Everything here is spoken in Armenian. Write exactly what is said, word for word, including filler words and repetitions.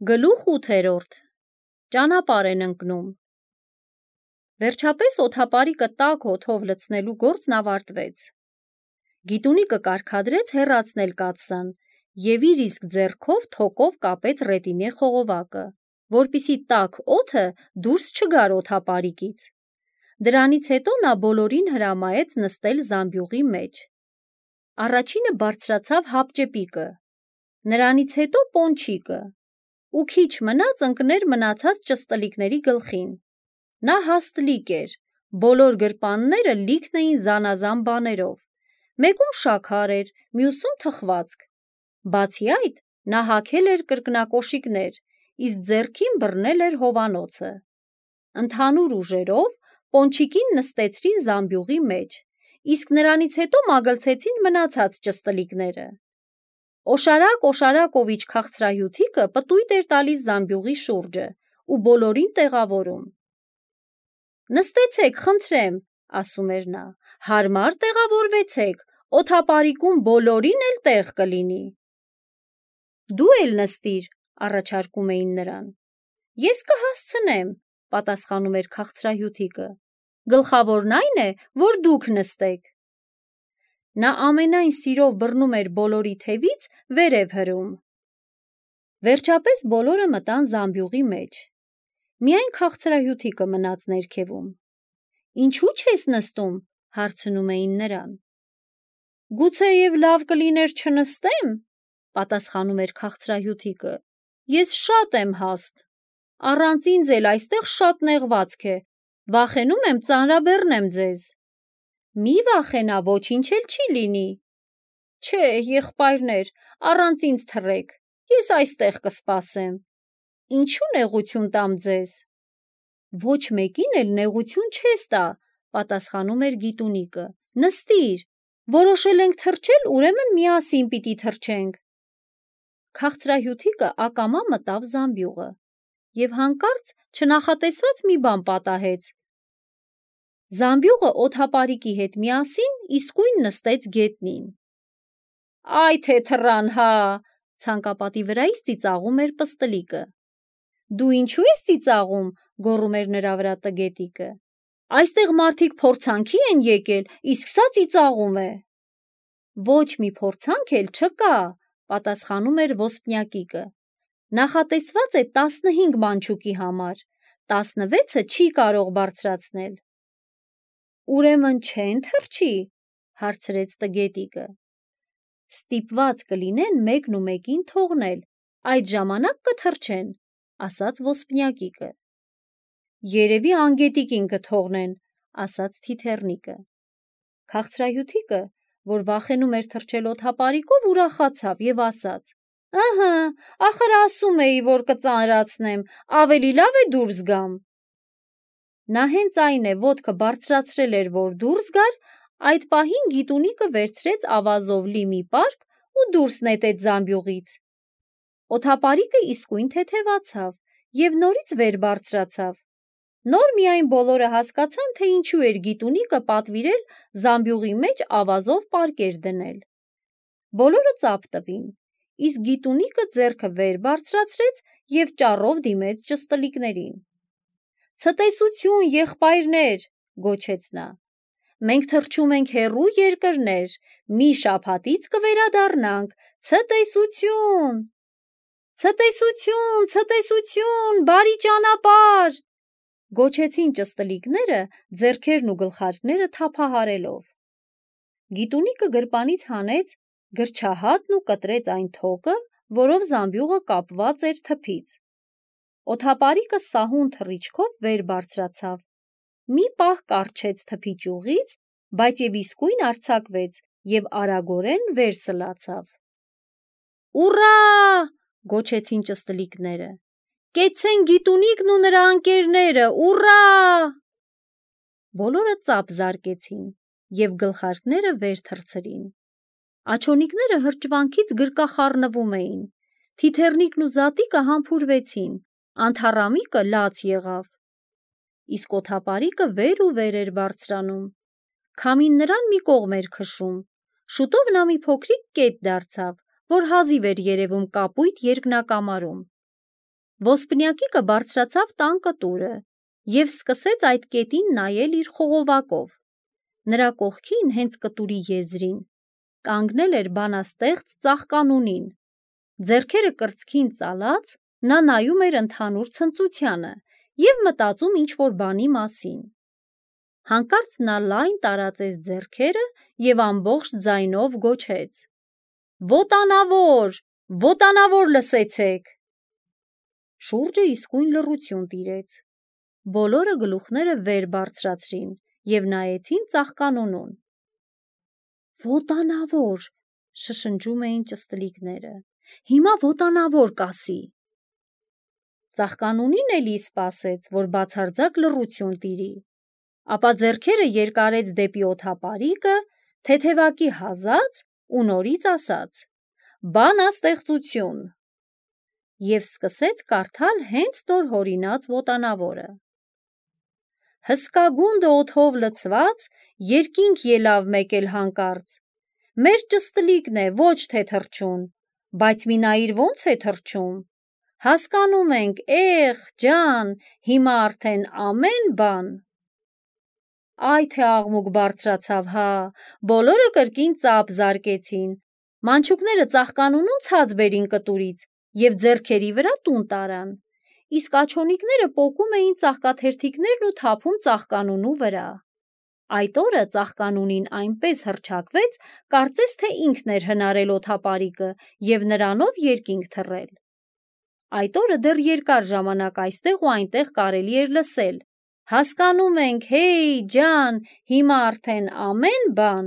Գլուխ ութերորդ. Ճանապարհ են ընկնում։ Վերջապես օդապարիկը տաք օդով լցնելու գործն ավարտվեց։ Գիտունիկը կարգադրեց հեռացնել կաթսան և իր իսկ ձեռքով թոկով կապեց ռետինե խողովակը, որպեսզի տաք օդը դուրս չգար օդապարիկից։ Դրանից հետո նա բոլորին հրամայեց նստել զամբյուղի մեջ։ Առաջինը բարձրացավ հապճեպիկը, նրանից հետո պոնչիկը, ու քիչ մնաց ընկներ մնացած ճստլիկների գլխին։ Նա հաստլիկ էր, բոլոր գրպանները լիքն էին զանազան բաներով, մեկում շաքար էր, մյուսում թխվածք։ Բացի այդ, նա հագել էր կրկնակոշիկներ, իսկ ձեռքին բռնել էր հովանոցը։ Ընդհանուր ուժերով պոնչիկին նստեցրին զամբյուղի մեջ, իսկ նրանից հետո մագլցեցին մնացած ճստլիկները։ Օշարակ-օշարակովիչ քաղցրահյութիկը պտույտ էր տալիս զամբյուղի շուրջը ու բոլորին տեղավորում։ «Նստեցեք, խնդրեմ», ասում էր նա, «հարմար տեղավորվեցեք, օդապարիկում բոլորին էլ տեղ կլինի»։ «Դու էլ նստիր», առաջարկում էին նրան։ «Ես կհասցնեմ», պատասխանում էր քաղցրահյութիկը, «գլխավորն այն է, որ դուք նստեք»։ Նա ամենայն սիրով բռնում էր բոլորի թևից վերև հրում։ Վերջապես բոլորը մտան զամբյուղի մեջ։ Միայն քաղցրահյութիկը մնաց ներքևում։ «Ինչու չես նստում», հարցնում էին նրան։ «Գուցեև լավ կլիներ չնստեմ», պատասխանում էր քաղցրահյութիկը, «ես շատ եմ հաստ, առանց ինձ էլ այստեղ շատ նեղվածք է, վախենում եմ ծանրաբեռնեմ ձեզ»։ «Մի վախենա, ոչինչ էլ չի լինի»։ «Չէ, եղբայրներ, առանց ինձ թռեք, ես այստեղ կսպասեմ»։ «Ինչու նեղություն տամ ձեզ»։ «Ոչ մեկին էլ նեղություն չես տա», պատասխանում էր գիտունիկը, «նստիր, որոշել ենք թռչել, ուրեմն միասին պիտի թռչենք»։ Քաղցրահյութիկը ակամա մտավ զամբյուղը և հանկարծ չնախատեսված մի բան պատահեց։ Զամբյուղը օդապարիկի հետ միասին իսկույն նստեց գետնին։ «Այ թե թռան հա», ցանկապատի վրայից ծիծաղում էր պստլիկը։ «Դու ինչու ես ծիծաղում», գոռում էր նրա վրա տգետիկը։ «Այստեղ մարդիկ փորձանքի են եկել, իսկ սա ծիծաղում է»։ «Ոչ մի փորձանք էլ չկա», պատասխանում էր ոսպնյակիկը։ «Նախատեսված է տասնհինգ մանչուկի համար, տասնվեցը չի կարող բարձրացնել»։ «Ուրեմն չե՞ն թռչի», հարցրեց տգետիկը։ «Ստիպված կլինեն մեկն ու մեկին թողնել, այդ ժամանակ կթռչեն», ասաց ոսպնյակիկը։ «Երևի անգետիկին կթողնեն», ասաց թիթեռնիկը։ Քաղցրահյութիկը, որ վախենում էր թռչել օդապարիկով, ուրախացավ և ասաց. «Ըհը, ախր ասում էի, որ կծանրացնեմ, ավելի լավ է դուրս գամ»։ Նա հենց այն է ոտքը բարձրացրել էր, որ դուրս գար, այդ պահին գիտունիկը վերցրեց ավազով լի մի պարկ ու դուրս նետեց զամբյուղից։ Օդապարիկը իսկույն թեթևացավ և նորից վեր բարձրացավ։ Նոր միայն բոլորը հասկացան, թե ինչու էր գիտունիկը պատվիրել զամբյուղի մեջ ավազով պարկեր դնել։ Բոլորը ծափ տվին, իսկ գիտունիկը ձեռքը վեր բարձրացրեց և ճառով դիմեց ճստլիկներին։ «Ցտեսություն, եղբայրներ», գոչեց նա, «մենք թռչում ենք հեռու երկրներ, մի շաբաթից կվերադառնանք, ցտեսություն»։ «Ցտեսություն, ցտեսություն, բարի ճանապարհ», գոչեցին ճստլիկները ձեռքերն ու գլխարկները թափահարելով։ Գիտունիկը գրպանից հանեց գրչահատն ու կտրեց այն թոկը, որով զամբյուղը կապված էր թփից։ Օդապարիկը սահուն թռիչքով վեր բարձրացավ, մի պահ կառչեց թփի ճյուղից, բայց և իսկույն արձակվեց և արագորեն վեր սլացավ։ «Ուռա», գոչեցին ճստլիկները, «կեցցեն գիտունիկն ու նրա ընկերները, ուռա»։ Բոլորը ծափ զարկեցին և գլխարկները վեր թռցրին։ Աջոնիկները հրճվանքից գրկախառնվում էին, թիթեռնիկն ու զատիկը համբուրվեցին, անթառամիկը լաց եղավ։ Իսկ օդապարիկը վեր ու վեր էր բարձրանում։ Քամին նրան մի կողմ էր քշում։ Շուտով նա մի փոքրիկ կետ դարձավ, որ հազիվ էր երևում կապույտ երկնակամարում։ Ոսպնյակիկը բարձրացավ տան կտուրը և սկսեց այդ կետին նայել իր խողովակով։ Նրա կողքին, հենց կտուրի եզրին, կանգնել էր բանաստեղծ ծաղկանունին։ Ձեռքերը կրծքին ծալած, նա նայում էր ընդհանուր ցնծությանը և մտածում ինչ-որ բանի մասին։ Հանկարծ նա լայն տարածեց ձեռքերը և ամբողջ ձայնով գոչեց. «Ոտանավոր, ոտանավոր լսեցեք»։ Շուրջը իսկույն լռություն տիրեց։ Բոլորը գլուխները վեր բարձրացրին և նայեցին ծաղկանունուն։ «Ոտանավոր», շշնջում էին ճստլիկները, «հիմա ոտանավոր կասի»։ Ծաղկանունին էլի սպասեց, որ բացարձակ լռություն տիրի, ապա ձեռքերը երկարեց դեպի օդապարիկը, թեթևակի հազաց ու նորից ասաց. «Բանաստեղծություն» և սկսեց կարդալ հենց նոր հորինած ոտանավորը։ Հսկագունդը օդով լցված, երկինք ելավ մեկ էլ հանկարծ, մեր ճստլիկն է, ոչ թե թռչուն, բայց մի նայիր ոնց է թռչում, հասկանում ենք, էխ, ջան, հիմա արդեն ամեն բան։ Այ թե աղմուկ բարձրացավ, հա, բոլորը կրկին ծափ զարկեցին, մանչուկները ծաղկանունուն ցած բերին կտուրից և ձեռքերի վրա տուն տարան, իսկ աչոնիկները պոկում էին ծաղկաթերթիկներն ու թափում ծաղկանունու վրա։ Այդ օրը ծաղկանունին այնպես հռչակվեց, կարծես թե ինքն էր հնարել օդապարիկը և նրանով երկինք թռել։ Այդ օրը դեռ երկար ժամանակ այստեղ ու այնտեղ կարելի էր լսել. հասկանում ենք, հեյ, ջան, հիմա արդեն ամեն բան։